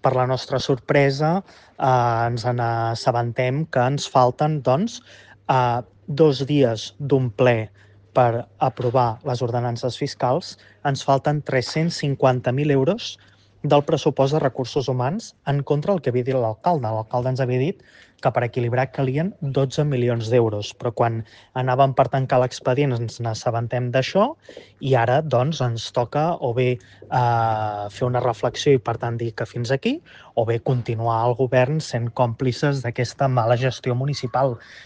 per la nostra sorpresa, ens n'assabentem que ens falten, doncs, 2 dies d'un ple per aprovar les ordenances fiscals, ens falten 350.000 euros del pressupost de recursos humans en contra del que havia dit l'alcalde. L'alcalde ens havia dit que per equilibrar calien 12 milions d'euros, però quan anàvem per tancar l'expedient ens n'assabentem d'això i ara doncs ens toca o bé fer una reflexió i per tant dir que fins aquí, o bé continuar al govern sent còmplices d'aquesta mala gestió municipal.